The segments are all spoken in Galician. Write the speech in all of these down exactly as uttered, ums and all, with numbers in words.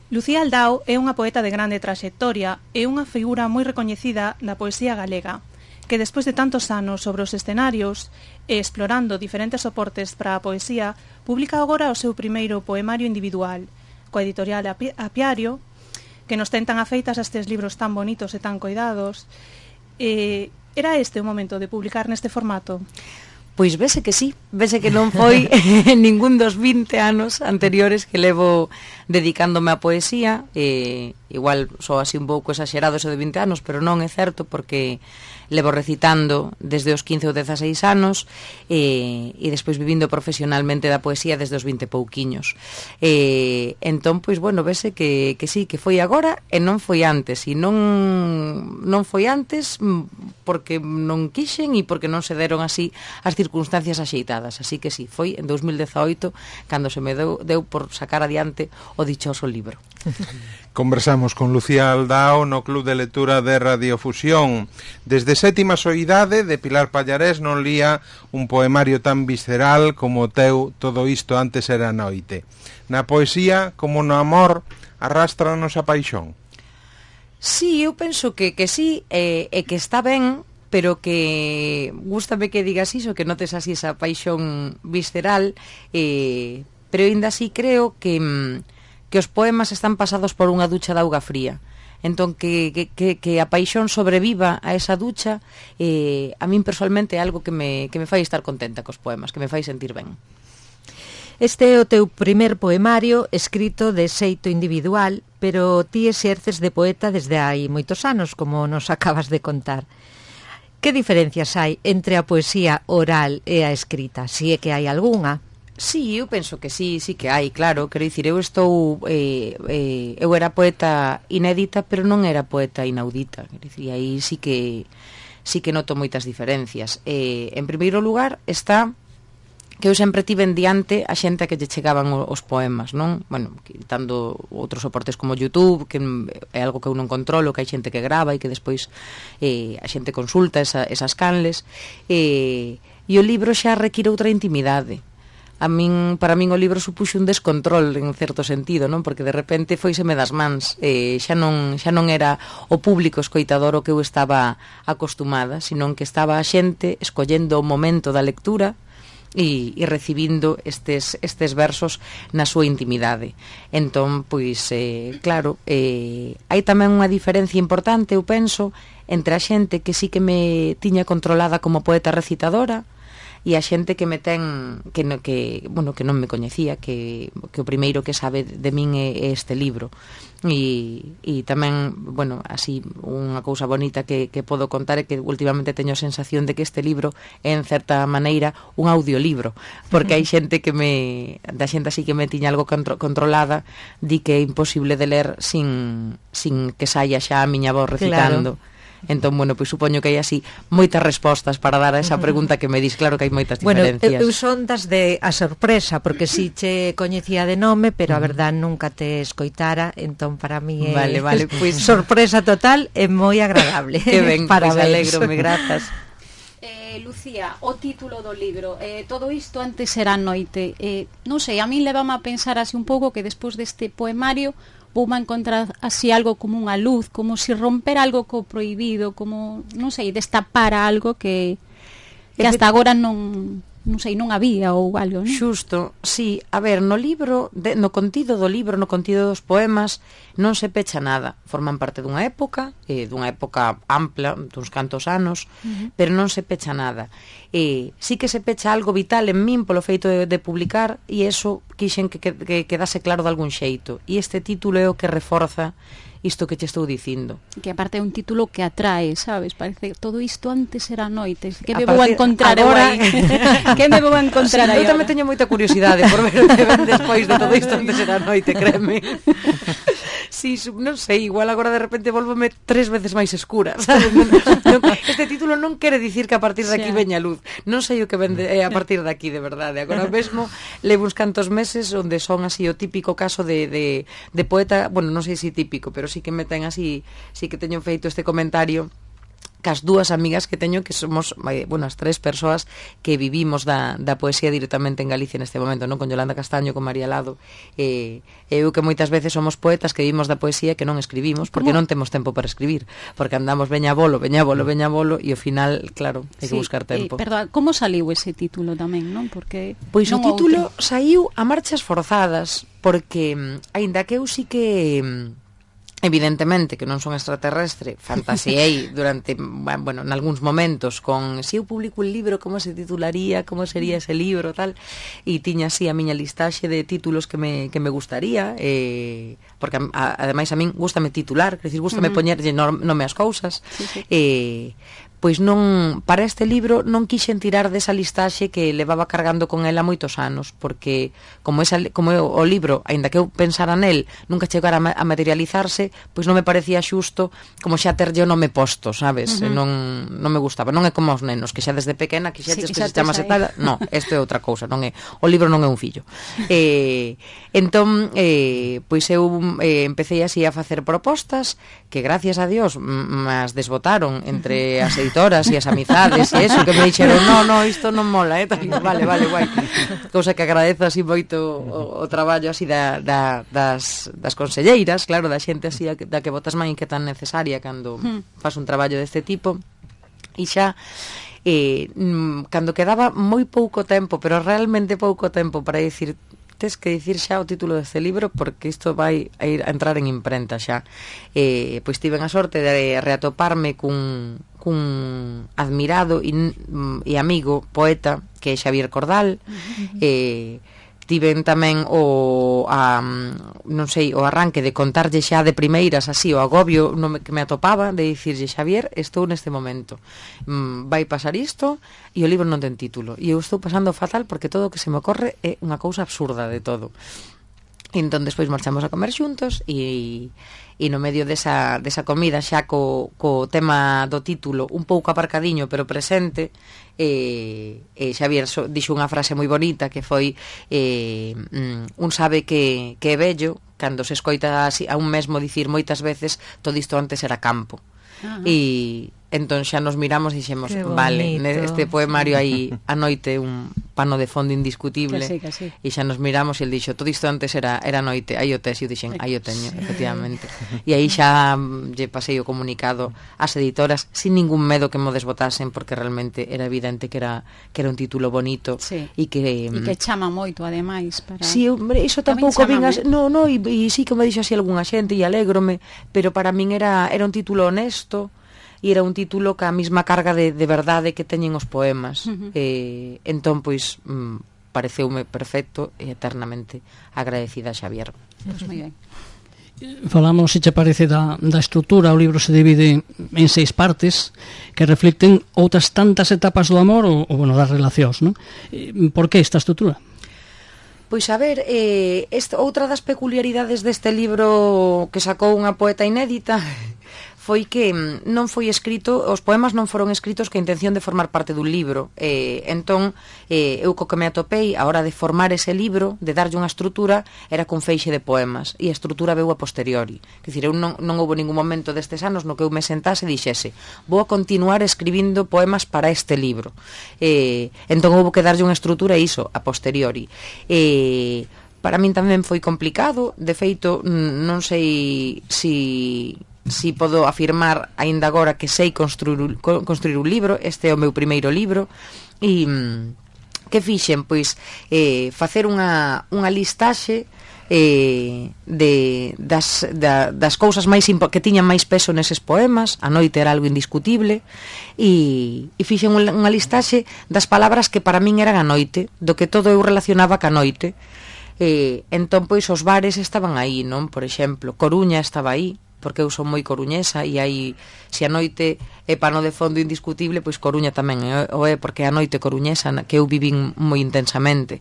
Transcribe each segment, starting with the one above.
Lucía Aldao é unha poeta de grande traxectoria e unha figura moi recoñecida da poesía galega, que despois de tantos anos sobre os escenarios e explorando diferentes soportes para a poesía, publica agora o seu primeiro poemario individual, coa editorial Api- Apiario, que nos ten tan afeitas a estes libros tan bonitos e tan coidados. E era este o momento de publicar neste formato? Pois vese que sí, vese que non foi ningún dos vinte anos anteriores que levo dedicándome á poesía, e igual só así un pouco exagerado eso de vinte anos, pero non é certo porque levo recitando desde os quince ou dezaseis anos e, e despois vivindo profesionalmente da poesía desde os vinte pouquiños. E, entón, pois, bueno, vese que, que sí, que foi agora e non foi antes, e non, non foi antes porque non quixen e porque non se deron así as circunstancias axeitadas, así que sí, foi en dous mil dezaoito cando se me deu, deu por sacar adiante o dichoso libro. Conversamos con Lucía Aldao no Club de Lectura de Radiofusión. Desde sétima soidade de Pilar Pallarés non lía un poemario tan visceral como o teu Todo isto antes era noite. Na poesía, como no amor, arrástranos a paixón. Sí, eu penso que, que sí, e, e que está ben, pero que gústame que digas iso, que notes así esa paixón visceral, eh, pero ainda así creo que... que os poemas están pasados por unha ducha de auga fría. Entón, que, que, que, que a paixón sobreviva a esa ducha, eh, a min personalmente é algo que me, que me fai estar contenta cos poemas, que me fai sentir ben. Este é o teu primer poemario escrito de xeito individual, pero ti exerces de poeta desde hai moitos anos, como nos acabas de contar. Que diferencias hai entre a poesía oral e a escrita, se é que hai algunha? Sí, eu penso que sí, sí que hai, claro. Quero dicir, eu estou eh, eh, eu era poeta inédita, pero non era poeta inaudita. Quero dicir, aí sí que sí que noto moitas diferencias. Eh, en primeiro lugar está que eu sempre tive en diante a xente a que lle chegaban os poemas, non? Bueno, quitando outros soportes como YouTube, que é algo que eu non controlo, que hai xente que grava e que despois eh, a xente consulta esa, esas canles, eh, e o libro xa require outra intimidade. A min, para min o libro supuxo un descontrol en certo sentido, non? Porque de repente foiseme das mans, eh, xa non xa non era o público escoitador o que eu estaba acostumada, senón que estaba a xente escollendo o momento da lectura e, e recibindo estes, estes versos na súa intimidade. Entón, pois, eh, claro, eh, hai tamén unha diferencia importante, eu penso, entre a xente que sí que me tiña controlada como poeta recitadora e a xente que me ten que, no, que, bueno, que non me coñecía, que, que o primeiro que sabe de min é, é este libro. E, e tamén, bueno, así unha cousa bonita que, que podo contar é que últimamente teño a sensación de que este libro é en certa maneira un audiolibro, porque hai xente que me da xente así que me tiña algo contro, controlada, di que é imposible de ler sin, sin que saia xa a miña voz recitando. Claro. Entón, bueno, pois supoño que hai así moitas respostas para dar a esa pregunta que me dis. Claro que hai moitas diferencias. Bueno, eu son das de a sorpresa, porque si che coñecía de nome, pero a verdad nunca te escoitara, entón para mí é vale, vale, pois... sorpresa total e moi agradable. Que ben, pois alégrome, grazas. Eh, Lucía, o título do libro, eh, todo isto antes era noite. Eh, non sei, a min levame a pensar así un pouco que despois deste poemario vou a encontrar así algo como unha luz, como si romper algo co prohibido, como, non sei, destapar algo que, que hasta agora non, non sei, non había ou algo, non? Xusto, sí, a ver, no libro, de, no contido do libro, no contido dos poemas, non se pecha nada. Forman parte dunha época, eh, dunha época ampla, duns cantos anos, uh-huh. pero non se pecha nada. Eh, sí que se pecha algo vital en min polo feito de, de publicar, e eso quixen que, que, que quedase claro de algún xeito. E este título é o que reforza isto que te estou dicindo. Que aparte é un título que atrae, sabes? Parece todo isto antes era noite. Que a me vou a encontrar agora? Que me vou a encontrar sí, aí? Eu tamén teño moita curiosidade por ver o que ven despois de todo isto antes era noite, créeme. Sí, non sei, igual agora de repente volvome tres veces máis escura, sabes? Non, non, este título non quere dicir que a partir de aquí veña luz. Non sei o que ven de, eh, a partir de aquí, de verdade. Agora mesmo levo uns cantos meses onde son así o típico caso de, de, de poeta, bueno, non sei se típico, pero sí que me ten así, sí que teño feito este comentario cas dúas amigas que teño que somos, bueno, as tres persoas que vivimos da, da poesía directamente en Galicia neste momento, non? Con Yolanda Castaño, con María Lado, e eh, eu que moitas veces somos poetas que vivimos da poesía que non escribimos, porque non temos tempo para escribir, porque andamos veña bolo, veña bolo, veña bolo, e ao final, claro, hai que sí, buscar tempo. Eh, perdón, como saliu ese título tamén, non? Porque pois non o título outro. saiu a marchas forzadas, porque, aínda que eu sí que... evidentemente que non son extraterrestre, fantasiei durante, bueno, en algúns momentos con, se eu publico un libro, como se titularía, como sería ese libro, tal, e tiña así a miña listaxe de títulos que me, que me gustaría, eh, porque a, ademais a min gústame titular, quer dicir, gústame uh -huh. poñerlle nome ás cousas, sí, sí. eh, pois non, para este libro non quixen tirar desa listaxe que levaba cargando con ela moitos anos, porque como, esa, como o libro, aínda que eu pensara nel, nunca chegara a materializarse, pois non me parecía xusto como xa terlle o nome posto, sabes? Uh -huh. non, non me gustaba, non é como os nenos, que xa desde pequena quixetes sí, que se chamase tal, non, isto é outra cousa, non é, o libro non é un fillo. eh, entón, eh, pois eu eh, empecé así a facer propostas, que gracias a Dios mas desbotaron entre as editoras e as amizades e eso, que me dixeron, no, no, isto non mola, eh? vale, vale, guai. Cousa que agradezo así moito o, o traballo así da, da, das, das conselleiras, claro, da xente así da que botas man e que tan necesaria cando faz un traballo deste tipo. E xa eh, cando quedaba moi pouco tempo, pero realmente pouco tempo para dicir, tes que dicir xa o título deste libro porque isto vai a ir a entrar en imprenta xa. Eh, pois tiven a sorte de reatoparme cun, cun admirado e, e amigo poeta que é Xavier Cordal. Uh-huh. eh, tiven tamén o a, non sei, o arranque de contarlle xa de primeiras así o agobio no me, que me atopaba de dicirlle, Xavier, estou neste momento, mm, vai pasar isto e o libro non ten título e eu estou pasando fatal porque todo o que se me ocorre é unha cousa absurda de todo. E entón despois marchamos a comer xuntos e, e no medio desa, desa comida xa co, co tema do título un pouco aparcadiño pero presente, e, e Xavier so, dixo unha frase moi bonita que foi eh, un sabe que, que é bello cando se escoita así, a un mesmo dicir moitas veces todo isto antes era campo. Uh-huh. E entón xa nos miramos e dixemos, vale, neste poemario hai a noite un pano de fondo indiscutible, que sí, que sí. E xa nos miramos e el dixo, todo isto antes era era noite, aí o tes, e eu dixen, aí o teño, efectivamente. E aí xa lle pasei o comunicado ás editoras sin ningún medo que mo desbotasen, porque realmente era evidente que era que era un título bonito, sí. E que e que chama moito ademais para... Sí, hombre, iso tampouco vingas, no, no, e, e sí que me dixo así algunha xente e alégrome, pero para min era era un título honesto. E era un título ca mesma carga de, de verdade que teñen os poemas. Uh-huh. eh, entón, pois, mm, pareceume perfecto e eternamente agradecida a Xavier. Pois moi ben. Falamos, se che parece, da, da estrutura. O libro se divide en seis partes que reflicten outras tantas etapas do amor ou, ou bueno, das relacións, non? Por que esta estrutura? Pois a ver, eh, esta, outra das peculiaridades deste libro que sacou unha poeta inédita foi que non foi escrito, os poemas non foron escritos que a intención de formar parte dun libro. Eh, entón, eh, eu co que me atopei a hora de formar ese libro, de darlle unha estrutura, era con feixe de poemas, e a estrutura veu a posteriori. Quer dizer, eu non, non houve ningún momento destes anos no que eu me sentase e dixese, vou a continuar escribindo poemas para este libro. Eh, entón houve que darlle unha estrutura e iso, a posteriori. Eh, para min tamén foi complicado, de feito, non sei si... si podo afirmar aínda agora que sei construir, construir un libro. Este é o meu primeiro libro e que fixen, pois eh, facer unha, unha listaxe eh, de, das, da, das cousas máis que tiñan máis peso neses poemas. A noite era algo indiscutible e, e fixen unha listaxe das palabras que para min eran a noite, do que todo eu relacionaba ca noite. eh, entón pois os bares estaban aí, non? Por exemplo, Coruña estaba aí, porque eu son moi coruñesa e aí, se a noite é pano de fondo indiscutible, pois Coruña tamén é, o é, porque a noite coruñesa que eu vivín moi intensamente.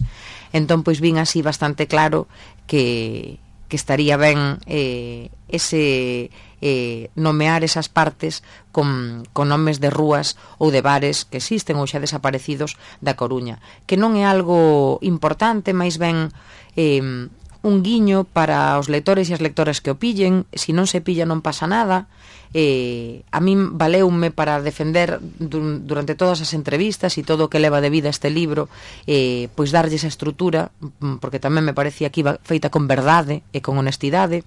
Entón, pois vin así bastante claro que, que estaría ben eh, ese eh, nomear esas partes con, con nomes de rúas ou de bares que existen ou xa desaparecidos da Coruña, que non é algo importante, máis ben... Eh, un guiño para os lectores e as lectoras que o pillen. Se non se pilla non pasa nada. Eh, a min valeume para defender du durante todas as entrevistas e todo o que leva de vida este libro, eh, pois darlle esa estrutura, porque tamén me parecía que iba feita con verdade e con honestidade.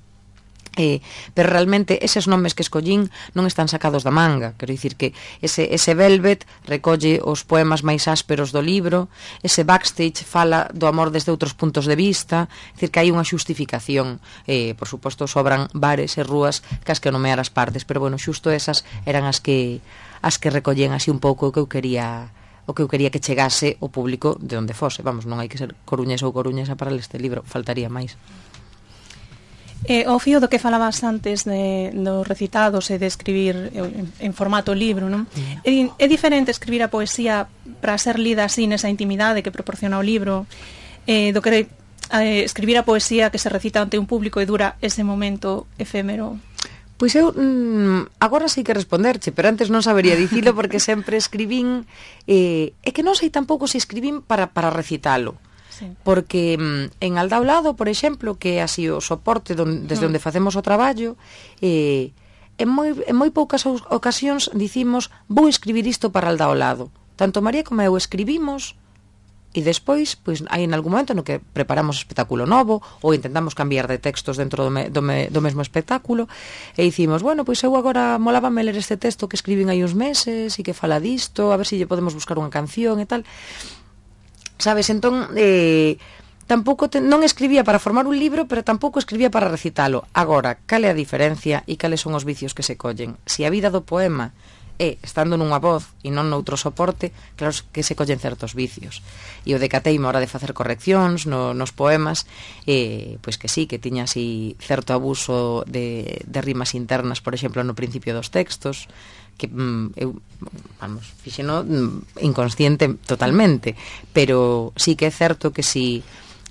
Eh, pero realmente eses nomes que escollín non están sacados da manga. Quero dicir que ese, ese Velvet recolle os poemas máis ásperos do libro, ese Backstage fala do amor desde outros puntos de vista. É dicir que hai unha xustificación. eh, Por suposto sobran bares e rúas que as que nomear as partes, pero bueno, xusto esas eran as que as que recollían así un pouco o que eu quería o que eu quería que chegase o público de onde fose. Vamos, non hai que ser coruñesa ou coruñesa para ler este libro, faltaría máis. Eh, ao fío do que falabas antes de, dos recitados e de escribir en, en formato libro, non? Mm. É, é diferente escribir a poesía para ser lida así nesa intimidade que proporciona o libro, eh, do que eh, escribir a poesía que se recita ante un público e dura ese momento efémero. Pois eu mm, agora sei que responderche, pero antes non sabería dicilo porque sempre escribín, eh, é que non sei tampouco se escribín para, para recitalo. Sí. Porque mm, en Aldao Lado, por exemplo, que é así o soporte don, desde mm. onde facemos o traballo, eh, en, moi, en moi poucas ocasións dicimos vou escribir isto para Aldao Lado. Tanto María como eu escribimos e despois, pois, hai en algún momento no que preparamos espectáculo novo ou intentamos cambiar de textos dentro do, me, do, me, do mesmo espectáculo e dicimos, bueno, pois eu agora molábame ler este texto que escribín hai uns meses e que fala disto, a ver se lle podemos buscar unha canción e tal. Sabes, entón eh, tampouco te, non escribía para formar un libro, pero tampouco escribía para recitalo. Agora, cal é a diferencia e cales son os vicios que se collen? Se a vida do poema é estando nunha voz e non noutro soporte, claro que se collen certos vicios. E o decateime a hora de facer correccións no, nos poemas, eh, pois que sí, que tiña así certo abuso de, de rimas internas, por exemplo, no principio dos textos, que mm, eu, vamos, fixeno mm, inconsciente totalmente, pero sí que é certo que si,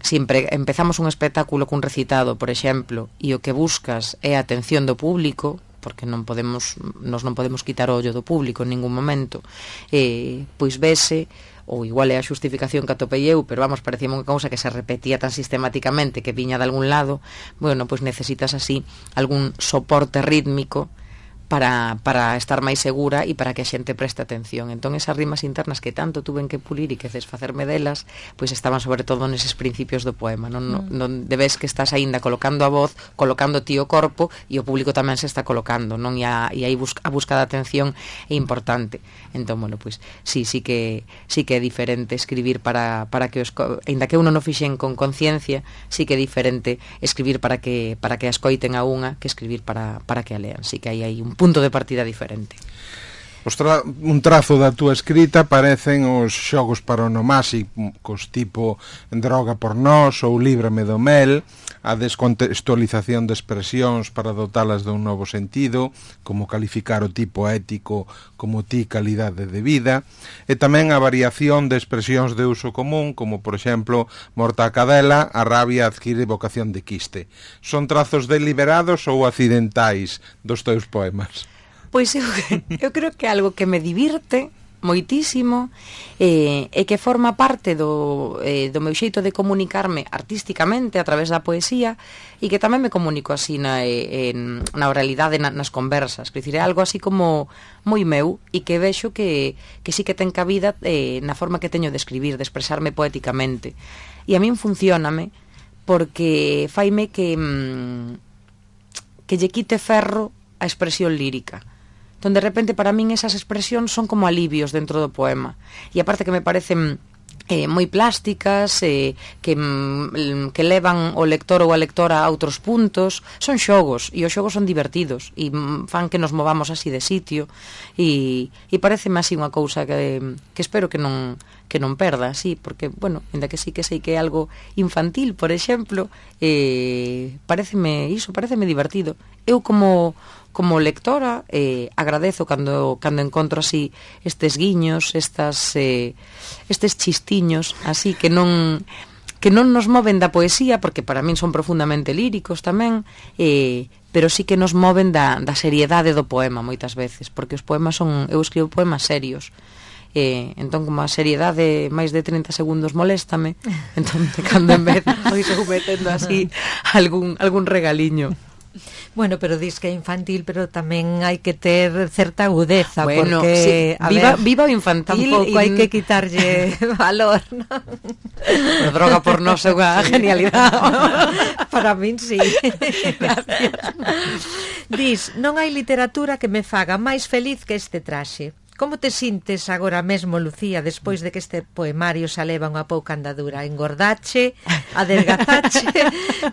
si empezamos un espectáculo cun recitado, por exemplo, e o que buscas é a atención do público, porque non podemos, nos non podemos quitar o ollo do público en ningún momento, eh, pois vese, ou igual é a xustificación que atopei eu, pero vamos, parecía unha cousa que se repetía tan sistemáticamente que viña de algún lado, bueno, pois necesitas así algún soporte rítmico para, para estar máis segura e para que a xente preste atención. Entón esas rimas internas que tanto tuven que pulir e que desfacerme delas, pois estaban sobre todo neses principios do poema, non, non, non debes que estás aínda colocando a voz, colocando ti o corpo e o público tamén se está colocando, non? E, a, e aí busca, a busca de atención é importante. Entón, bueno, pois sí, sí que sí que é diferente escribir para, para que os, aínda que uno non fixen con conciencia, sí que é diferente escribir para que para que a escoiten a unha que escribir para, para que a lean. Sí que aí hai un punto de partida diferente. Os tra un trazo da túa escrita parecen os xogos paronomásicos tipo Droga por nós ou Líbrame do mel, a descontextualización de expresións para dotalas dun novo sentido, como calificar o tipo ético como ti calidade de vida, e tamén a variación de expresións de uso común, como por exemplo morta a cadela, a rabia adquire vocación de quiste. Son trazos deliberados ou accidentais dos teus poemas? Pois eu, eu creo que é algo que me divirte moitísimo eh, e que forma parte do, eh, do meu xeito de comunicarme artísticamente a través da poesía e que tamén me comunico así na, en, na oralidade, na, nas conversas. Quer dizer, é algo así como moi meu e que vexo que, que sí que ten cabida eh, na forma que teño de escribir, de expresarme poéticamente. E a min funcióname porque faime que, mm, que lle quite ferro a expresión lírica. Entón, de repente, para min esas expresións son como alivios dentro do poema. E aparte que me parecen eh, moi plásticas, eh, que, mm, que levan o lector ou a lectora a outros puntos. Son xogos, e os xogos son divertidos, e mm, fan que nos movamos así de sitio, e, e pareceme así unha cousa que, que espero que non que non perda, sí, porque, bueno, ainda que sí que sei que é algo infantil, por exemplo, eh, pareceme iso, pareceme divertido. Eu como como lectora eh, agradezo cando cando encontro así estes guiños, estas eh, estes chistiños así que non que non nos moven da poesía, porque para min son profundamente líricos tamén, eh, pero sí que nos moven da, da seriedade do poema moitas veces, porque os poemas son, eu escribo poemas serios E, entón, como a seriedade máis de trinta segundos moléstame, entón, cando en vez pois eu metendo así algún, algún regaliño. Bueno, pero dis que é infantil, pero tamén hai que ter certa agudeza, bueno, porque sí, a viva, ver, viva o infantil, tampouco y... hai que quitarlle valor, ¿no? Pero droga por nós é unha genialidade. Para min sí. Gracias. Dis, non hai literatura que me faga máis feliz que este traxe. Como te sintes agora mesmo, Lucía, despois de que este poemario xa leva unha pouca andadura? Engordache, adelgazache?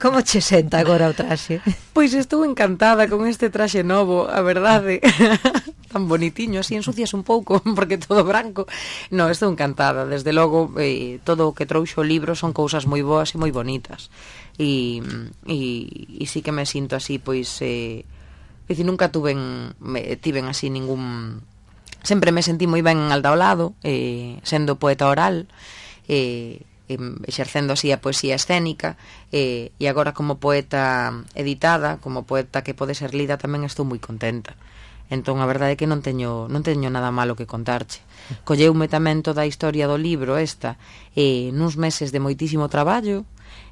Como che senta agora o traxe? Pois estou encantada con este traxe novo, a verdade. Tan bonitiño, así ensucias un pouco, porque todo branco. No, estou encantada, desde logo, eh, todo o que trouxo o libro son cousas moi boas e moi bonitas. E, e, e sí que me sinto así, pois, eh, dicir, nunca tuven, me, tiven así ningún... Sempre me sentí moi ben al ao lado, eh, sendo poeta oral, eh, exercendo así a poesía escénica, eh, e agora como poeta editada, como poeta que pode ser lida, tamén estou moi contenta. Entón, a verdade é que non teño, non teño nada malo que contarche. Colleume tamén toda a historia do libro esta, eh, nuns meses de moitísimo traballo,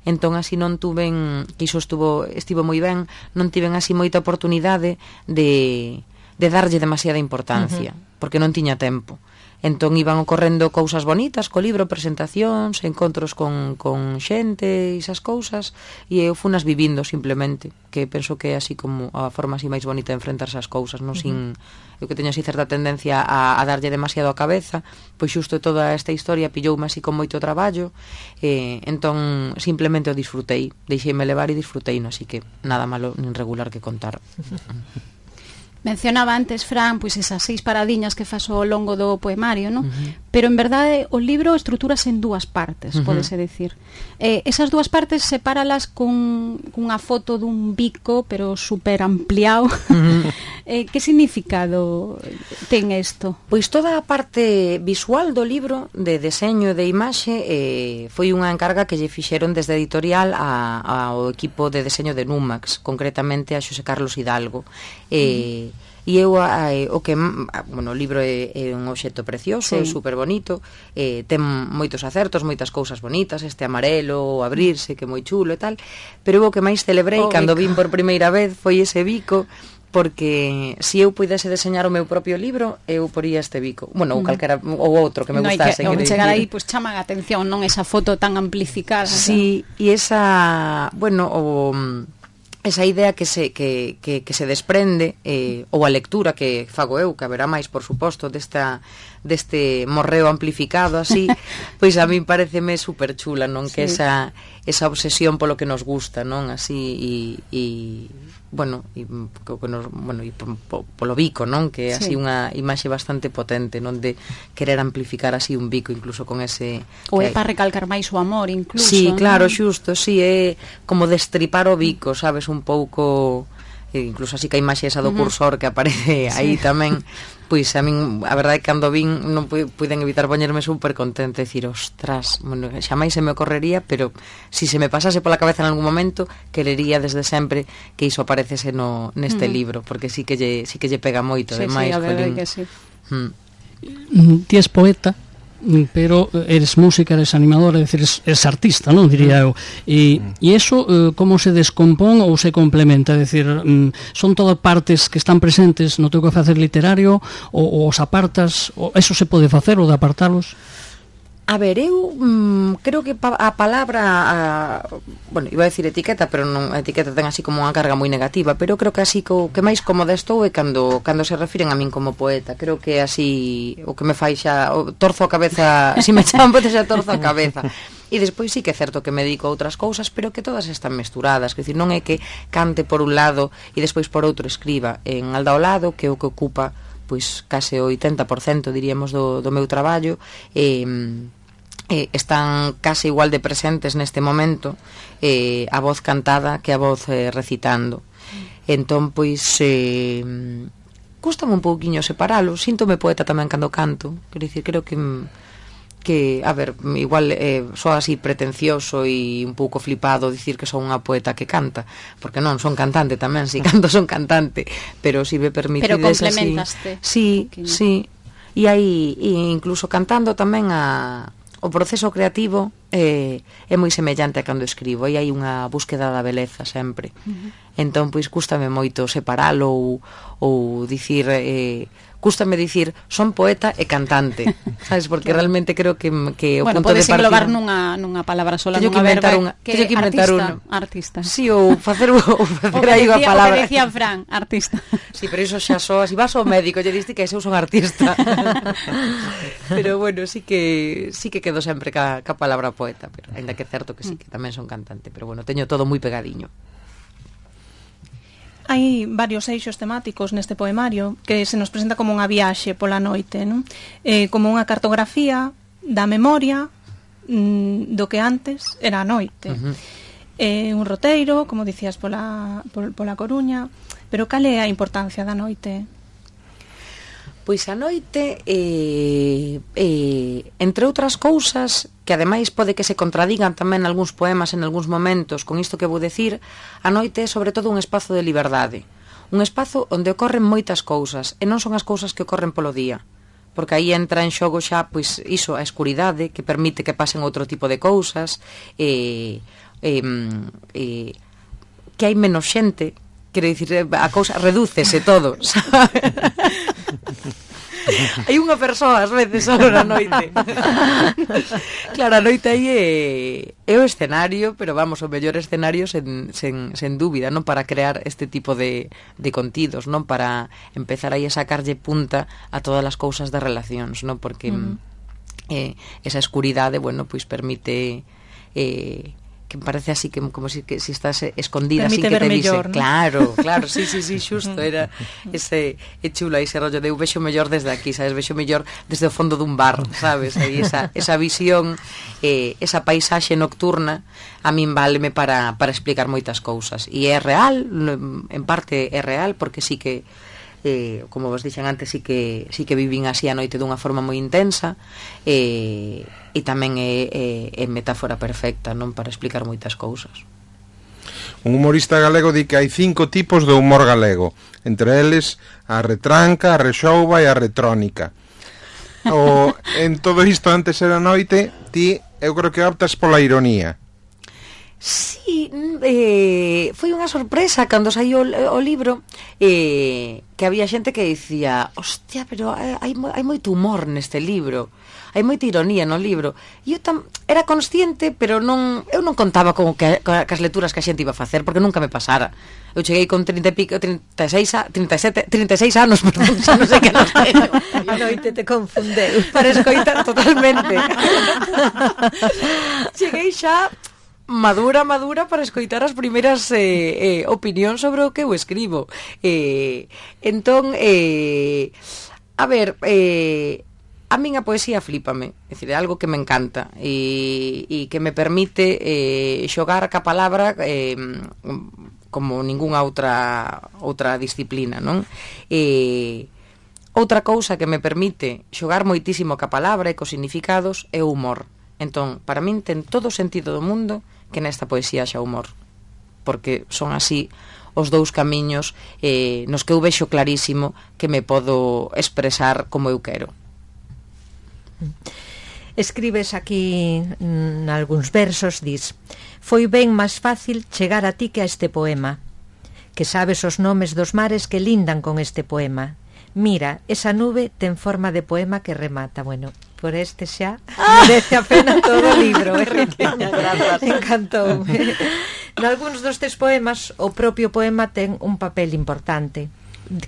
entón así non tuven, que iso estuvo, estivo moi ben, non tiven así moita oportunidade de... de darlle demasiada importancia, uh-huh. porque non tiña tempo. Entón iban ocorrendo cousas bonitas co libro, presentacións, encontros con, con xente e esas cousas, e eu funas vivindo simplemente, que penso que é así como a forma así máis bonita de enfrentarse ás cousas, non? Uh-huh. Sin, eu que teño así certa tendencia a, a darlle demasiado a cabeza, pois xusto toda esta historia pilloume así con moito traballo, e entón simplemente o disfrutei, deixeime levar e disfrutei, no? Así que nada malo nin regular que contar. Mencionaba antes, Fran, pois esas seis paradiñas que fas ao longo do poemario, non? Uh-huh. Pero en verdade o libro estruturase en dúas partes, uh-huh. pódese decir. Eh, esas dúas partes sepáralas con cunha foto dun bico, pero super ampliado. Uh-huh. eh, que significado ten isto? Pois toda a parte visual do libro, de deseño e de imaxe, eh, foi unha encarga que lle fixeron desde editorial a, ao equipo de deseño de Numax, concretamente a Xosé Carlos Hidalgo. Eh, uh-huh. E eu, a, o que, bueno, o libro é, é un obxecto precioso, sí. É super bonito, eh, ten moitos acertos, moitas cousas bonitas, este amarelo, o abrirse, que é moi chulo e tal, pero o que máis celebrei oh, cando vin por primeira vez foi ese bico, porque se eu puidese deseñar o meu propio libro, eu poría este bico. Bueno, ou calquera, ou outro que me no gustase. Non chegar aí, pois pues, chaman a atención, non esa foto tan amplificada. Sí, e esa, bueno, o... esa idea que se, que, que, que se desprende eh, ou a lectura que fago eu, que haberá máis, por suposto, desta, deste morreo amplificado así, pois a mí pareceme super chula, non? Sí. Que esa, esa obsesión polo que nos gusta, non? Así, e, e bueno, e, que nos, bueno, e polo bico, non? Que é así sí. Unha imaxe bastante potente, non? De querer amplificar así un bico, incluso con ese... Ou é para recalcar máis o amor, incluso. Sí, ¿no? Claro, xusto, sí, é como destripar o bico, sabes, un pouco... Incluso así que a imaxe esa do cursor que aparece sí. Aí tamén... Pois a min, a verdade é que cando vin non puiden evitar poñerme super contenta e dicir, ostras, bueno, xa máis se me ocorrería, pero si se me pasase pola cabeza en algún momento, querería desde sempre que iso aparecese no, neste uh-huh. libro, porque sí que lle, sí que lle pega moito, sí, ademais. Sí, a verdade que sí. Hmm. Ti es poeta, pero eres música, eres animador, é dicir, eres, eres artista, non, diría eu. E, e eso, eh, como se descompón ou se complementa? É dicir, mm, son todas partes que están presentes no teu que facer literario, ou, ou os apartas, ou eso se pode facer, ou de apartalos? A ver, eu mm, creo que pa, a palabra a, bueno, iba a decir etiqueta, pero non, a etiqueta ten así como unha carga moi negativa, pero creo que así co, que máis cómoda estou é cando, cando se refiren a min como poeta. Creo que así o que me fai xa o, torzo a cabeza, se si me chaman poeta xa torzo a cabeza. E despois sí que é certo que me dedico a outras cousas, pero que todas están mesturadas, que decir, non é que cante por un lado e despois por outro escriba. En alda ao lado, que é o que ocupa pois case o oitenta por cento, diríamos, do, do meu traballo, eh, eh, están case igual de presentes neste momento eh, a voz cantada que a voz eh, recitando. Entón, pois, eh, custame un pouquiño separalo, síntome poeta tamén cando canto, quero dicir, creo que... que, a ver, igual eh, só así pretencioso e un pouco flipado dicir que son unha poeta que canta, porque non, son cantante tamén, si canto son cantante, pero si me permitides pero complementaste así, sí, sí, e aí e incluso cantando tamén a o proceso creativo eh, é moi semellante a cando escribo, e hai unha búsqueda da beleza sempre. Uh-huh. Entón, pois, cústame moito separalo ou, ou dicir... Eh, cústame dicir, son poeta e cantante, sabes? Porque claro. realmente creo que, que o bueno, punto de partida... englobar nunha, nunha palabra sola, teño nunha verba, unha, que teño que inventar artista, uno. Artista. Sí, ou facer, ou facer o aí unha palabra. O que decía Fran, artista. Sí, pero iso xa soa, si vas ao médico, lle diste que eu son artista. Pero bueno, sí que sí que quedo sempre ca, ca palabra poeta, pero ainda que é certo que sí, que tamén son cantante, pero bueno, teño todo moi pegadiño. Hai varios eixos temáticos neste poemario que se nos presenta como unha viaxe pola noite, non? Eh, como unha cartografía da memoria mm, do que antes era a noite. Uh-huh. Eh, un roteiro, como dicías, pola, pol, pola Coruña, pero cal é a importancia da noite? Pois a noite, eh, eh, entre outras cousas, que ademais pode que se contradigan tamén algúns poemas en algúns momentos, con isto que vou decir, a noite é sobre todo un espazo de liberdade, un espazo onde ocorren moitas cousas, e non son as cousas que ocorren polo día, porque aí entra en xogo xa, pois, iso, a escuridade, que permite que pasen outro tipo de cousas, eh, eh, eh, que hai menos xente, quero dicir, a cousa redúcese todo, sabe? Hai unha persoa ás veces só na noite. Claro, a noite aí é, é o escenario, pero vamos, o mellor escenario sen, sen, sen dúbida, non, para crear este tipo de, de contidos, non, para empezar aí a sacarlle punta a todas as cousas das relacións, non, porque mm. eh, esa escuridade, bueno, pois permite eh, que parece así que como si que si estás escondida, permite así que te mellor, dice, ¿no? Claro, claro, sí, sí, sí, xusto, era ese é chulo ese rollo de eu vexo mellor desde aquí, sabes, vexo mellor desde o fondo dun bar, sabes, aí esa esa visión, eh, esa paisaxe nocturna a min váleme para para explicar moitas cousas, e é real, en parte é real porque sí que Eh, como vos dixen antes, sí que, sí que vivín así a noite dunha forma moi intensa, eh, e tamén é, é, é metáfora perfecta, non, para explicar moitas cousas. Un humorista galego di que hai cinco tipos de humor galego, entre eles a retranca, a rexouba e a retrónica. O, en todo isto antes era noite, ti eu creo que optas pola ironía. Sí, eh, foi unha sorpresa cando saiu o, o libro, eh, que había xente que dicía, hostia, pero hai, hai moito humor neste libro, hai moita ironía no libro, e eu tam, era consciente, pero non, eu non contaba con que, con as lecturas que a xente iba a facer, porque nunca me pasara. Eu cheguei con trinta e pico, trinta e seis, trinta e sete, trinta e seis anos, perdón, xa non sei que nos teño. A noite te confundeu. Para escoitar totalmente. Cheguei xa madura, madura para escoitar as primeiras eh, eh, opinións sobre o que eu escribo. Eh, entón, eh, a ver, eh, a min a poesía flípame, é dicir, é algo que me encanta e, e que me permite eh, xogar ca palabra eh, como ningunha outra outra disciplina, non? E outra cousa que me permite xogar moitísimo ca palabra e cos significados é o humor. Entón, para min ten todo o sentido do mundo que nesta poesía xa humor, porque son así os dous camiños eh, nos que eu vexo clarísimo que me podo expresar como eu quero. Escribes aquí en algúns versos, dis: foi ben máis fácil chegar a ti que a este poema, que sabes os nomes dos mares que lindan con este poema. Mira, esa nube ten forma de poema que remata. Bueno, por este xa merece a pena todo o libro, eh? Encantou. Nalgúns destes poemas o propio poema ten un papel importante.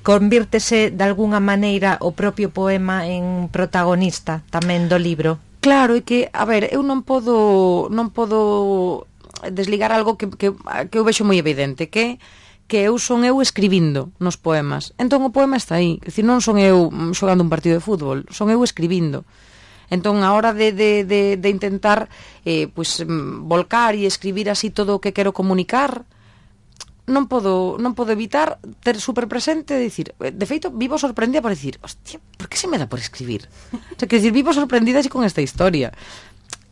Convírtese de alguna maneira o propio poema en protagonista tamén do libro. Claro, e que, a ver, eu non podo non podo desligar algo que, que, que eu vexo moi evidente, que que eu son eu escribindo nos poemas. Entón o poema está aí, é dicir, non son eu xogando un partido de fútbol, son eu escribindo. Entón, a hora de, de, de, de intentar eh, pues, volcar e escribir así todo o que quero comunicar, non podo, non podo evitar ter super presente de dicir, de feito, vivo sorprendida por dicir, hostia, por que se me dá por escribir? O sea, que decir, vivo sorprendida así con esta historia.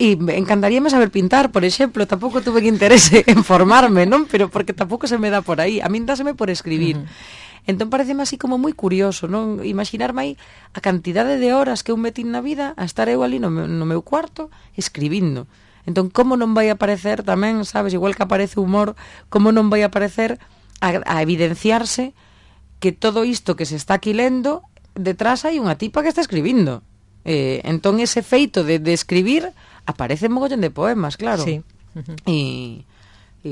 E encantaríame saber pintar, por exemplo, tampouco tuve que interese en formarme, non? Pero porque tampouco se me dá por aí. A min dáseme por escribir. Uh-huh. Entón pareceme así como moi curioso, non? Imaginarme aí a cantidade de horas que eu metín na vida a estar eu ali no meu, no meu cuarto escribindo. Entón, como non vai aparecer tamén, sabes, igual que aparece o humor, como non vai aparecer a, a evidenciarse que todo isto que se está aquí lendo, detrás hai unha tipa que está escribindo. Eh, entón, ese feito de, de escribir aparece en mogollón de poemas, claro. Sí. E... E,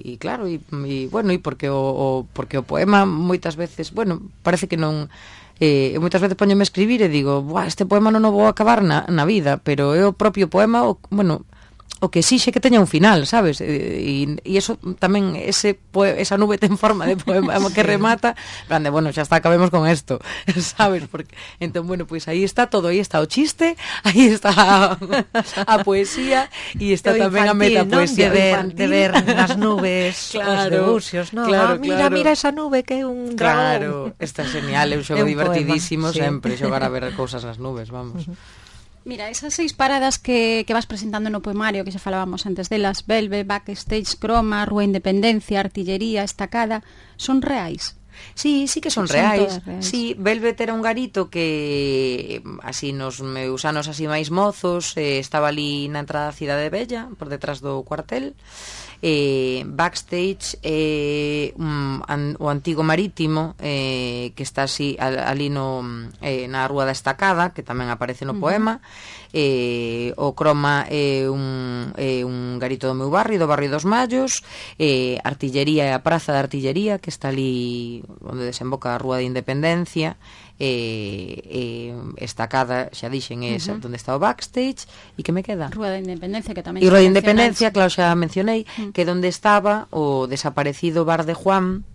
e, e claro, e, e bueno, e porque o, o porque o poema moitas veces, bueno, parece que non eh, moitas veces poñome a escribir e digo, buah, este poema non o vou acabar na, na vida, pero é o propio poema, o, bueno, o que exixe que teña un final, sabes? E, e eso tamén, ese poe, esa nube ten forma de poema que remata, grande, bueno, xa está, acabemos con esto, sabes? Porque, entón, bueno, pois pues aí está todo, aí está o chiste, aí está a, a poesía, e está o tamén infantil, a metapoesía, ¿no? de, ver, de ver nas nubes claro, os debuxios, ¿no? Claro, ah, mira, claro. mira esa nube que é un dragón. Claro, está genial, é un xogo é un divertidísimo poema, sempre, sí. xogar a ver cousas nas nubes, vamos. Uh -huh. Mira, esas seis paradas que, que vas presentando no poemario, que xa falábamos antes delas, Belve, Backstage, Croma, Rúa Independencia, Artillería, Estacada, son reais? Sí, sí que son, son reais. reais. Sí, Velvet era un garito que así nos meus anos así máis mozos, eh, estaba ali na entrada da Cidade Bella, por detrás do cuartel. Eh, Backstage eh, um, an, o antigo marítimo eh, que está así al, ali no, eh, na Rúa da Estacada, que tamén aparece no uh -huh. poema. eh, o Croma é eh, un, eh, un garito do meu barrio, do barrio dos Mallos. eh, Artillería é a praza da Artillería, que está ali onde desemboca a Rúa de Independencia. Eh, eh, Estacada, xa dixen, é esa, uh -huh. onde está o Backstage. E que me queda? Rúa da Independencia, que tamén e Rúa de Independencia, claro, xa mencionei, uh -huh. que é onde estaba o desaparecido Bar de Juan,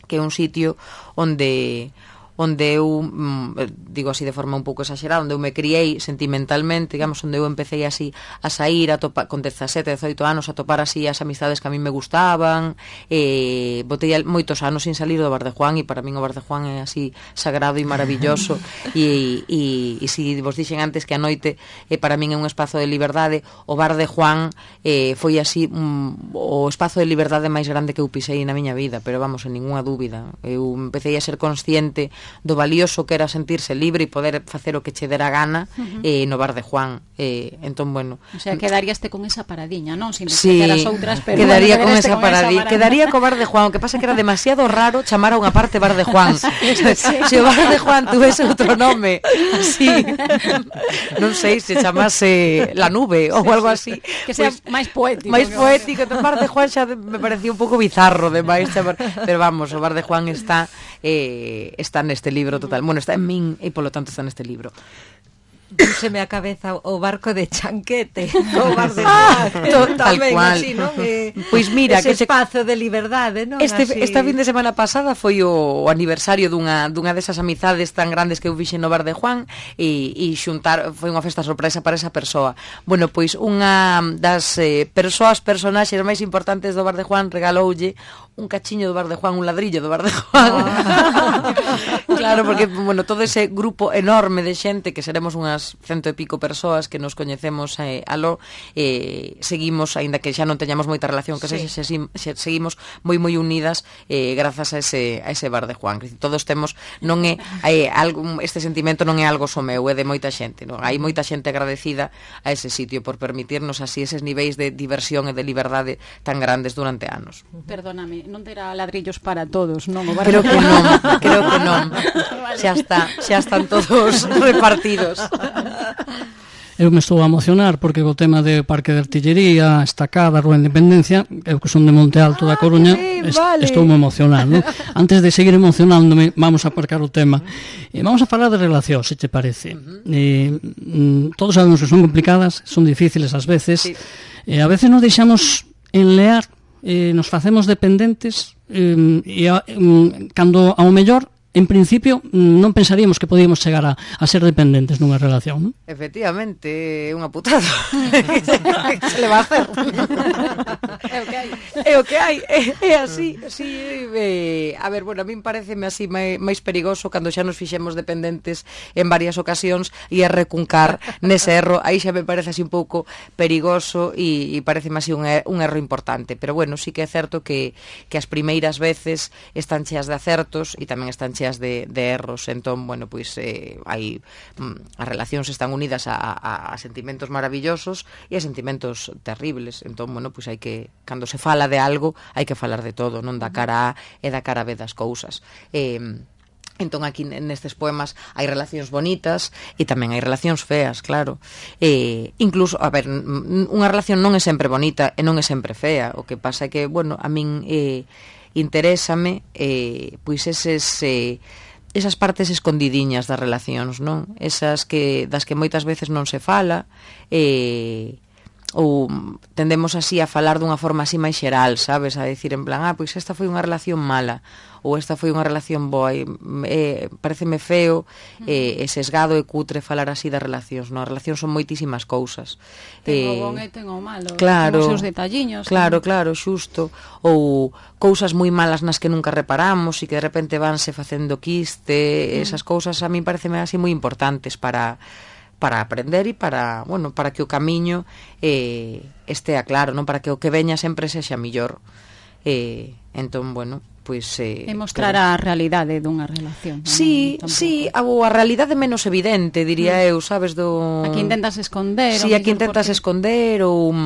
que é un sitio onde onde eu, mm, digo así de forma un pouco exagerada, onde eu me criei sentimentalmente, digamos, onde eu empecé así a sair a topa, con dezasete, dezoito anos, a topar así as amistades que a mí me gustaban. Eh, botei moitos anos sin salir do Bar de Juan, e para min o Bar de Juan é así sagrado e maravilloso. e, e, e si vos dixen antes que a noite eh, para min é un espazo de liberdade, o Bar de Juan eh, foi así um, o espazo de liberdade máis grande que eu pisei na miña vida, pero vamos, en ninguna dúbida. Eu empecé a ser consciente do valioso que era sentirse libre e poder facer o que che dera gana uh -huh. eh, no Bar de Juan. Eh, entón, bueno... O sea, quedaríaste con esa paradiña, non? Sin sí, as outras, pero quedaría bueno, con esa paradiña. Quedaría co Bar de Juan, o que pasa que era demasiado raro chamar a unha parte Bar de Juan. Se sí. si o Bar de Juan tuvese outro nome, así, non sei, se chamase La Nube ou sí, algo así. Que sea pues, máis poético. Máis poético. O Bar de Juan xa me parecía un pouco bizarro demais chamar, pero vamos, o Bar de Juan está eh, está neste libro total. Bueno, está en min e polo tanto está neste libro. Púseme a cabeza o barco de Chanquete, o bar de Juan, tal cual. Así, ¿no? Eh, pois mira, ese que espazo de liberdade, ¿no? Este, así... esta fin de semana pasada foi o, o aniversario dunha, dunha desas amizades tan grandes que eu fixen no Bar de Juan, e, e xuntar, foi unha festa sorpresa para esa persoa. Bueno, pois unha das eh, persoas, personaxes máis importantes do Bar de Juan regaloulle un cachiño do Bar de Juan, un ladrillo do Bar de Juan. Oh. Claro, porque, bueno, todo ese grupo enorme de xente, que seremos unhas cento e pico persoas que nos coñecemos eh, aló, eh, seguimos, aínda que xa non teñamos moita relación, que sí. se, se, se, seguimos moi moi unidas eh, grazas a ese, a ese Bar de Juan. Todos temos, non é, é algo, este sentimento non é algo só meu, é de moita xente, non? Hai moita xente agradecida a ese sitio por permitirnos así eses niveis de diversión e de liberdade tan grandes durante anos. Perdóname, non terá ladrillos para todos, non? O Bar creo de que non, creo que non. Vale. Xa está, xa están todos repartidos. Eu me estou a emocionar porque co tema de Parque de Artillería, Estacada, Rúa Independencia, eu que son de Monte Alto da Coruña, ah, sí, est vale. estou me emocionando. Antes de seguir emocionándome, vamos a aparcar o tema. E vamos a falar de relacións, se te parece. Eh, todos sabemos que son complicadas, son difíciles ás veces. Sí. Eh, a veces nos deixamos enlear, eh, nos facemos dependentes, eh, e a, eh, cando ao mellor en principio non pensaríamos que podíamos chegar a, a ser dependentes nunha relación, non? Efectivamente, é unha putada. Que se le va a hacer? É o que hai. É o que hai, é, é así, así é, a ver, bueno, a min pareceme así máis, máis perigoso cando xa nos fixemos dependentes en varias ocasións e a recuncar nese erro, aí xa me parece así un pouco perigoso e, e pareceme así un, er, un erro importante, pero bueno, sí que é certo que, que as primeiras veces están cheas de acertos e tamén están cheas de, de erros, entón, bueno, pois eh, hai mm, as relacións están unidas a, a, a sentimentos maravillosos e a sentimentos terribles, entón, bueno, pois hai que, cando se fala de algo, hai que falar de todo, non da cara A e da cara B das cousas. Eh, entón aquí nestes poemas hai relacións bonitas e tamén hai relacións feas, claro. Eh, incluso, a ver, unha relación non é sempre bonita e non é sempre fea, o que pasa é que, bueno, a min eh, interésame eh, pois eses eh, esas partes escondidiñas das relacións, non? Esas que das que moitas veces non se fala, eh, ou tendemos así a falar dunha forma así máis xeral, sabes? A decir en plan, ah, pois esta foi unha relación mala, ou esta foi unha relación boa, e, eh, pareceme feo e eh, sesgado e cutre falar así das relacións, non? As relacións son moitísimas cousas. Ten o bon e ten o malo, claro, ten os seus detalliños. Claro, ¿no? Claro, xusto. Ou cousas moi malas nas que nunca reparamos e que de repente vanse facendo quiste, mm. esas cousas a mí pareceme así moi importantes para para aprender e para, bueno, para que o camiño eh, estea claro, non, para que o que veña sempre sexa millor. Eh, entón, bueno, pois eh, e mostrar pero... a realidade dunha relación. Sí, non, sí, a, a realidade menos evidente, diría mm. eu, sabes, do aquí intentas esconder, sí, aquí intentas esconder ou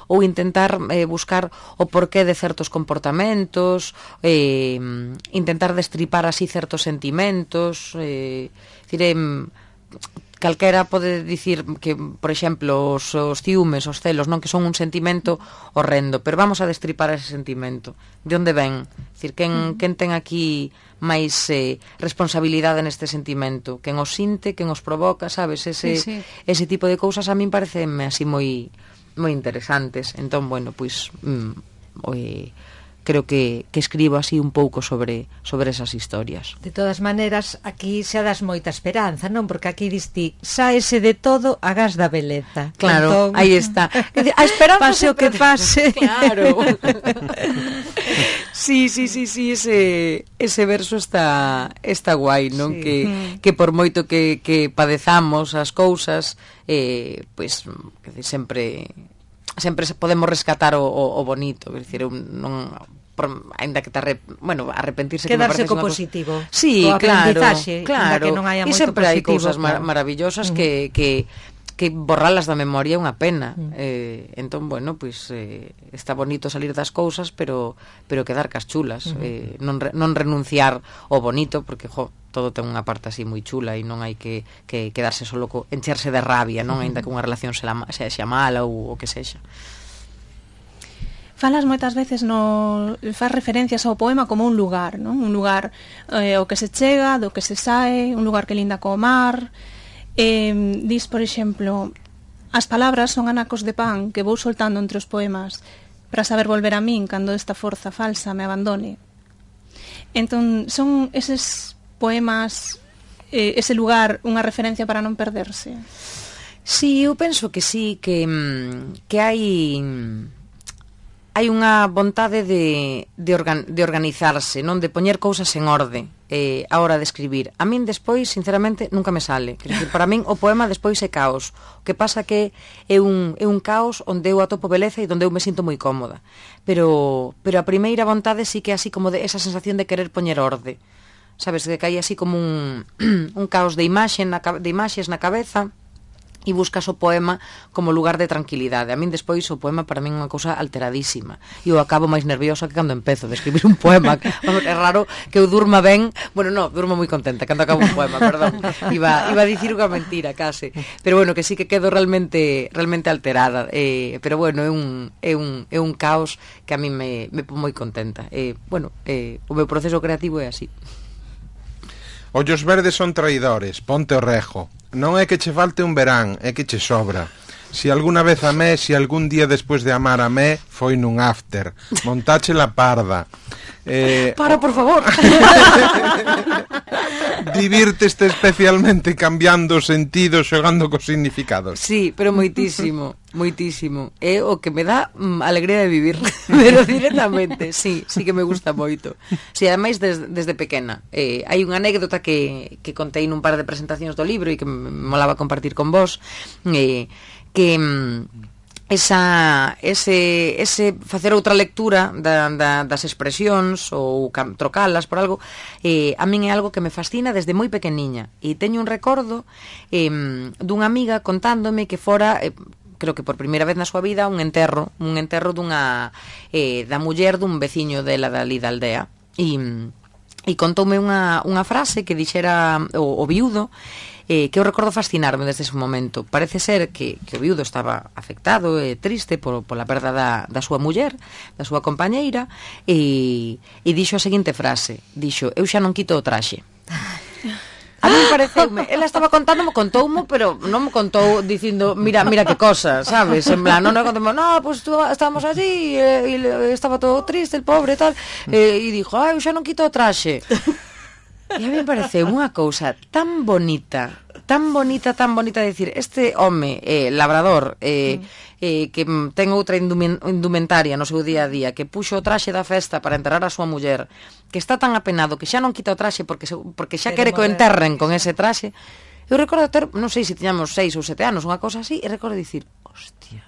ou intentar eh, buscar o porqué de certos comportamentos, eh, intentar destripar así certos sentimentos, eh, diré, calquera pode dicir que, por exemplo, os, os ciúmes, os celos, non, que son un sentimento horrendo, pero vamos a destripar ese sentimento. De onde ven? Dicir, quen, quen ten aquí máis eh, responsabilidade neste sentimento? Quen os sinte, quen os provoca, sabes? Ese, sí, sí. ese tipo de cousas a min pareceme así moi moi interesantes. Entón, bueno, pois mm, oi, creo que, que escribo así un pouco sobre sobre esas historias. De todas maneiras, aquí xa das moita esperanza, non? Porque aquí diste, sáese de todo a gas da beleza. Claro, entón, aí está. A esperanza pase o que pase. Claro. Sí, sí, sí, sí, ese ese verso está está guai, non? Sí. Que que por moito que que padezamos as cousas, eh, pois pues, sempre sempre podemos rescatar o, o, o bonito, é dicir, non, por, ainda que te arrep, bueno, arrepentirse quedarse co positivo. Sí, claro, claro. Que non haya e sempre hai cousas claro. mar maravillosas uh -huh. que que que borralas da memoria é unha pena. Mm. Eh, entón, bueno, pois eh, está bonito salir das cousas, pero pero quedar cas chulas, mm. eh, non re, non renunciar ao bonito, porque jo, todo ten unha parte así moi chula e non hai que, que quedarse solo co encherse de rabia, non, mm. aínda que unha relación sexa, sexa mala ou o que sexa. Falas moitas veces no faz referencias ao poema como un lugar, non? Un lugar eh, ao que se chega, do que se sae, un lugar que linda co mar. Eh, dis, por exemplo, as palabras son anacos de pan que vou soltando entre os poemas para saber volver a min cando esta forza falsa me abandone. Entón, son eses poemas, eh, ese lugar, unha referencia para non perderse? Sí, eu penso que sí, que, que hai... hai unha vontade de, de, organ, de organizarse, non, de poñer cousas en orde eh, a hora de escribir. A min despois, sinceramente, nunca me sale. Quer dizer, para min o poema despois é caos. O que pasa que é un, é un caos onde eu atopo beleza e onde eu me sinto moi cómoda. Pero, pero a primeira vontade sí que é así como de esa sensación de querer poñer orde. Sabes, que hai así como un, un caos de imaxe na, de imaxes na cabeza, e buscas o poema como lugar de tranquilidade. A min despois o poema para min é unha cousa alteradísima e eu acabo máis nerviosa que cando empezo de escribir un poema. Vamos, é raro que eu durma ben, bueno, no, durmo moi contenta cando acabo un poema, perdón, iba, iba a dicir unha mentira case, pero bueno, que sí que quedo realmente realmente alterada, eh, pero bueno, é un, é un, é un caos que a min me, me pon moi contenta. Eh, bueno, eh, o meu proceso creativo é así. Ollos verdes son traidores, ponte o rejo. Non é que che falte un verán, é que che sobra. Si alguna vez amé, si algún día despois de amar amé, foi nun after. Montache la parda. Eh, Para, por favor. Divírteste especialmente cambiando os sentidos, xogando cos significados. Sí, pero moitísimo, moitísimo. É o que me dá mm, alegría de vivir, pero directamente, sí, sí que me gusta moito. Sí, ademais des, desde pequena. Eh, hai unha anécdota que, que contei nun par de presentacións do libro e que me molaba compartir con vos, eh, que... Mm, esa, ese, ese facer outra lectura da, da, das expresións ou cam, trocalas por algo, eh, a min é algo que me fascina desde moi pequeniña, e teño un recordo eh, dunha amiga contándome que fora eh, creo que por primeira vez na súa vida un enterro un enterro dunha eh, da muller dun veciño dela dali da aldea, e, e contoume unha, unha frase que dixera o, o viudo, Eh, que eu recordo fascinarme desde ese momento. Parece ser que, que o viudo estaba afectado e triste por, pola perda da, da súa muller, da súa compañeira, e, e dixo a seguinte frase, dixo: eu xa non quito o traxe. A mí pareceume, ela estaba contándome, contoumo, pero non me contou dicindo, mira, mira que cosa, sabes, en plan, non é contoumo, no, pues tú, estábamos allí e, e estaba todo triste, el pobre, tal, e, e dixo, ah, eu xa non quito o traxe. E a mí me pareceu unha cousa tan bonita, tan bonita, tan bonita de decir, este home eh, labrador eh, eh, que ten outra indumentaria no seu día a día, que puxo o traxe da festa para enterrar a súa muller, que está tan apenado que xa non quita o traxe porque, se, porque xa quere que o enterren con ese traxe. Eu recordo ter, non sei se tiñamos seis ou sete anos, unha cousa así, e recordo dicir, hostia,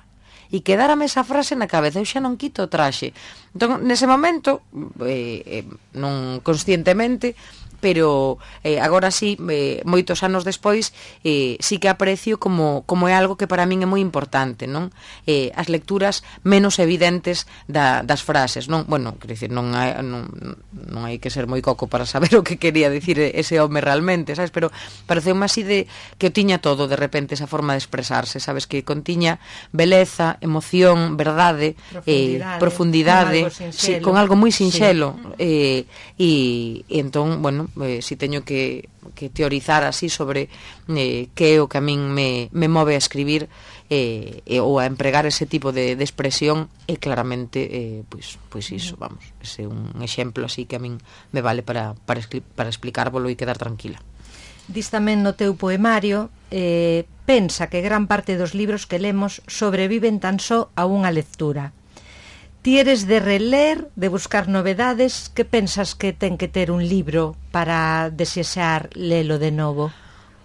e quedárame esa frase na cabeza, eu xa non quito o traxe. Entón, nese momento, eh, eh, non conscientemente, pero eh, agora sí, eh, moitos anos despois, eh, sí que aprecio como, como é algo que para min é moi importante, non? Eh, as lecturas menos evidentes da, das frases, non? Bueno, quero dicir, non hai, non, non hai que ser moi coco para saber o que quería dicir ese home realmente, sabes? Pero pareceume así de que o tiña todo de repente esa forma de expresarse, sabes? Que contiña beleza, emoción, verdade, profundidade, eh, profundidade con, algo sí, con algo moi sinxelo, sí. eh, e, e entón, bueno, Eh, si teño que, que teorizar así sobre eh, que é o que a min me, me move a escribir eh, eh, ou a empregar ese tipo de, de expresión, e claramente eh, pois, pois iso, vamos, ese é un exemplo así que a min me vale para, para, para explicárvolo e quedar tranquila. Dis tamén no teu poemario, eh, pensa que gran parte dos libros que lemos sobreviven tan só a unha lectura. Ti eres de reler, de buscar novedades, que pensas que ten que ter un libro para desexar lelo de novo?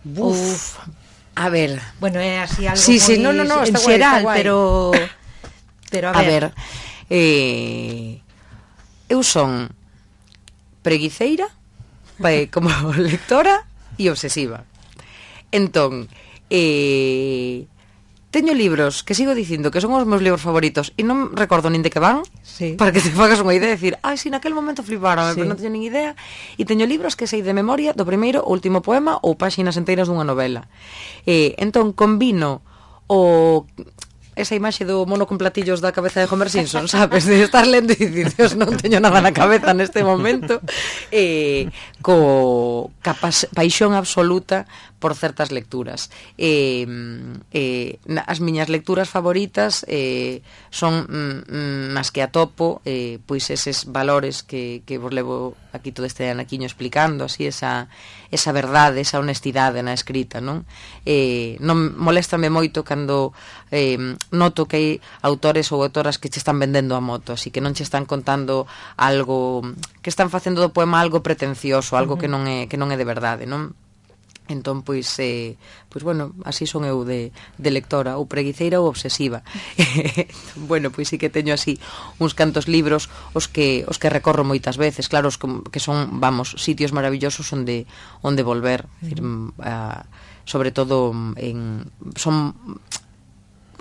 Buf, Uf, a ver... Bueno, é así algo sí, moi sí, no, no, no, en está xeral, guai, está guai. pero... pero a ver... A ver, eh, eu son preguiceira, vai, como lectora e obsesiva. Entón, eh... teño libros que sigo dicindo que son os meus libros favoritos e non recordo nin de que van, sí. Para que te fagas unha idea de decir, ai, si naquel momento fliparon, sí. Pero non teño nin idea. E teño libros que sei de memoria do primeiro ou último poema ou páxinas enteiras dunha novela. E, entón, combino o... esa imaxe do mono con platillos da cabeza de Homer Simpson, sabes? De estar lendo e dicir, Dios, non teño nada na cabeza neste momento, eh, co capas, paixón absoluta por certas lecturas. Eh, eh, as miñas lecturas favoritas eh, son mm, nas que atopo eh, pois eses valores que, que vos levo aquí todo este anaquiño explicando, así esa, esa verdade, esa honestidade na escrita, non? Eh, non moléstame moito cando eh, noto que hai autores ou autoras que che están vendendo a moto, así que non che están contando algo, que están facendo do poema algo pretencioso, algo uh-huh. que non é que non é de verdade, non? Entón, pois, eh, pois, bueno, así son eu de, de lectora, ou preguiceira ou obsesiva. Bueno, pois sí que teño así uns cantos libros os que os que recorro moitas veces, claro, os que son, vamos, sitios maravillosos onde onde volver, uh-huh. decir, a, sobre todo en son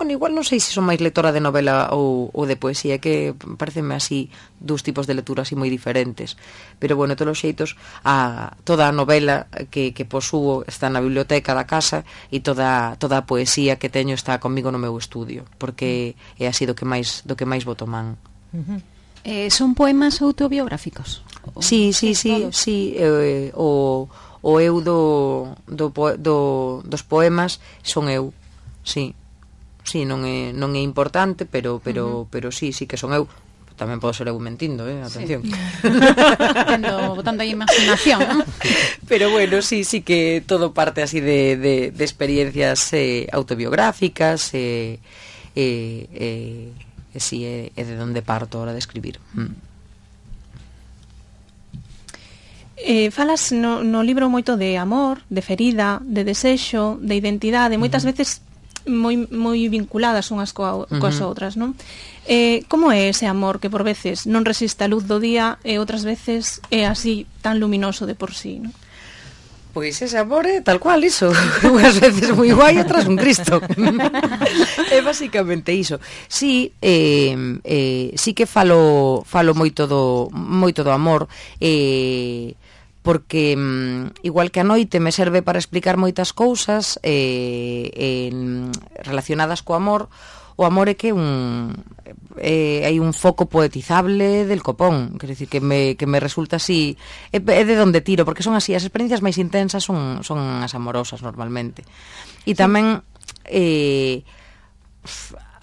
bueno, igual non sei se son máis lectora de novela ou, ou de poesía, que pareceme así dous tipos de lectura así moi diferentes, pero bueno, todos os xeitos a, toda a novela que, que posúo está na biblioteca da casa e toda, toda a poesía que teño está comigo no meu estudio, porque é así do que máis, do que máis boto man. Uh-huh. eh, Son poemas autobiográficos? Sí, sí, sí, sí, eh, o, o eu do, do, do, dos poemas son eu, sí. Sí, non é non é importante, pero pero uh-huh. pero sí, sí que son eu. tamén podo ser eu mentindo, eh, atención. Sí. botando, botando aí imaginación, ¿no? Pero bueno, sí, sí que todo parte así de, de, de experiencias eh, autobiográficas, eh, eh, eh, e si é, é de onde parto a hora de escribir. Mm. Eh, falas no, no libro moito de amor, de ferida, de desexo, de identidade, moitas uh-huh. veces moi moi vinculadas unhas coa, coas uh-huh. outras, non? Eh, como é ese amor que por veces non resiste a luz do día e outras veces é así tan luminoso de por sí, non? Pois ese amor é tal cual iso. Unhas veces moi guai, outras un Cristo. É basicamente iso. Sí, eh, eh, sí que falo falo moito do moito do amor, eh, porque mm, igual que a noite me serve para explicar moitas cousas eh, eh, relacionadas co amor. O amor é que un eh, hai un foco poetizable del copón, quer decir, que me, que me resulta así, é, é de donde tiro, porque son así, as experiencias máis intensas son, son as amorosas normalmente. E tamén eh,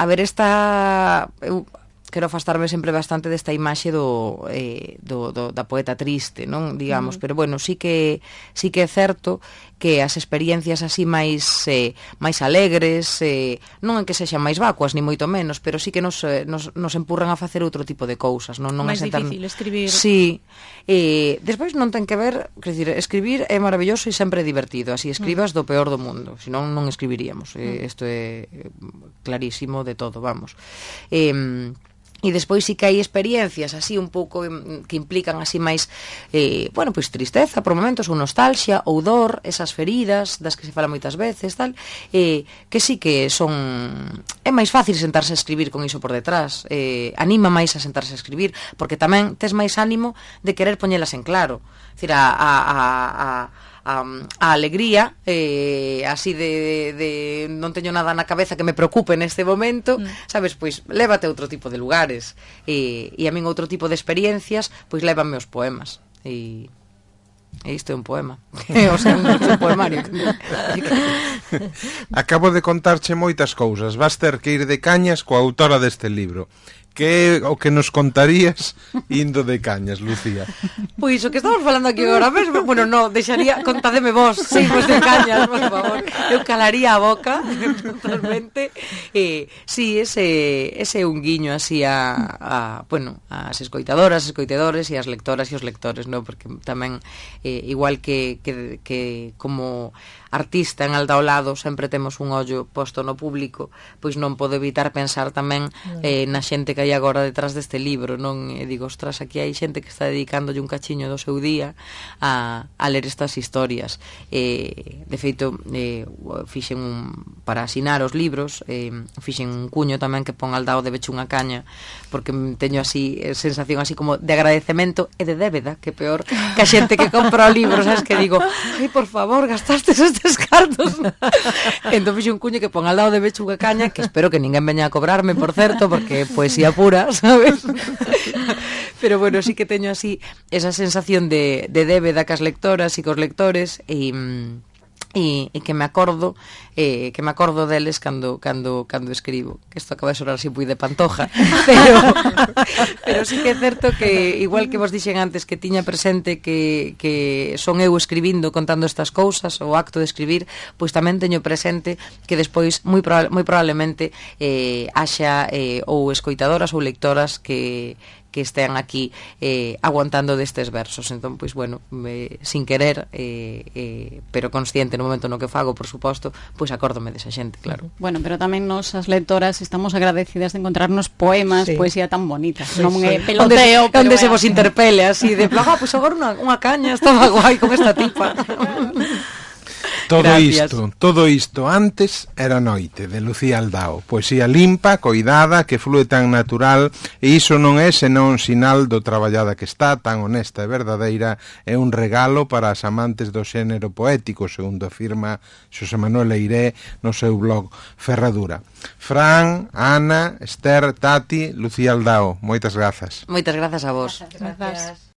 a ver, esta eu quero afastarme sempre bastante desta imaxe do, eh, do, do da poeta triste, non, digamos, mm. pero bueno, sí que sí que é certo que as experiencias así máis eh, máis alegres, eh, non en que sexan máis vacuas ni moito menos, pero sí que nos, eh, nos, nos empurran a facer outro tipo de cousas, non, non máis a sentar... difícil escribir. Sí. Eh, despois non ten que ver, quer dizer, escribir é maravilloso e sempre divertido, así escribas mm. do peor do mundo, senón non escribiríamos. Eh, isto é clarísimo de todo, vamos. Eh, E despois sí que hai experiencias así un pouco que implican así máis eh, bueno, pois tristeza por momentos, ou nostalgia, ou dor, esas feridas das que se fala moitas veces, tal, eh, que sí que son é máis fácil sentarse a escribir con iso por detrás, eh, anima máis a sentarse a escribir, porque tamén tes máis ánimo de querer poñelas en claro, é dicir, a, a, a, a A, a alegría eh, así de, de non teño nada na cabeza que me preocupe neste momento, mm. sabes, pois lévate a outro tipo de lugares e, e a min outro tipo de experiencias pois lévame os poemas e, e isto é un poema o sea, un, un poemario. Acabo de contarche moitas cousas, vas ter que ir de cañas coa autora deste libro. Que é o que nos contarías indo de cañas, Lucía? Pois o que estamos falando aquí agora mesmo, bueno, no, deixaría, contademe vos, sí, vos de cañas, por favor. Eu calaría a boca totalmente. Eh, sí, ese ese un guiño así a, a bueno, as escoitadoras, escoitadores e as lectoras e os lectores, no, porque tamén eh, igual que, que que como artista en alda ao lado sempre temos un ollo posto no público, pois non podo evitar pensar tamén eh, na xente que hai agora detrás deste libro, non? E digo, ostras, aquí hai xente que está dedicándolle un cachiño do seu día a, a ler estas historias. Eh, de feito, eh, fixen un, para asinar os libros, eh, fixen un cuño tamén que pon al dao de beche unha caña, porque teño así sensación así como de agradecemento e de débeda, que peor que a xente que compra o libro, sabes, que digo, ai, por favor, gastastes estes cartos. Entón fixe un cuño que pon al lado de beche unha caña, que espero que ninguén veña a cobrarme, por certo, porque é poesía pura, sabes? Pero bueno, sí que teño así esa sensación de, de débeda cas lectoras e cos lectores e... E, e que me acordo eh, que me acordo deles cando cando cando escribo, que isto acaba de sonar así moi de pantoja, pero pero sí que é certo que igual que vos dixen antes que tiña presente que, que son eu escribindo, contando estas cousas, o acto de escribir, pois tamén teño presente que despois moi, proba- moi probablemente eh, haxa eh, ou escoitadoras ou lectoras que que estean aquí eh, aguantando destes versos. Entón, pois, bueno, me, sin querer, eh, eh, pero consciente no momento no que fago, por suposto, pois acórdome desa xente, claro. Bueno, pero tamén nos, as lectoras, estamos agradecidas de encontrarnos poemas, sí. poesía tan bonita. Sí, non é sí. peloteo, onde, onde se vos interpele así, de, ah, pois agora unha, unha caña, estaba guai con esta tipa. Todo Gracias. isto, todo isto antes era noite, de Lucía Aldao. Poesía limpa, coidada, que flúe tan natural, e iso non é senón sinal do traballada que está, tan honesta e verdadeira, é un regalo para as amantes do xénero poético, segundo afirma Xosé Manuel Eiré no seu blog Ferradura. Fran, Ana, Esther, Tati, Lucía Aldao, moitas grazas. Moitas grazas a vos. Grazas.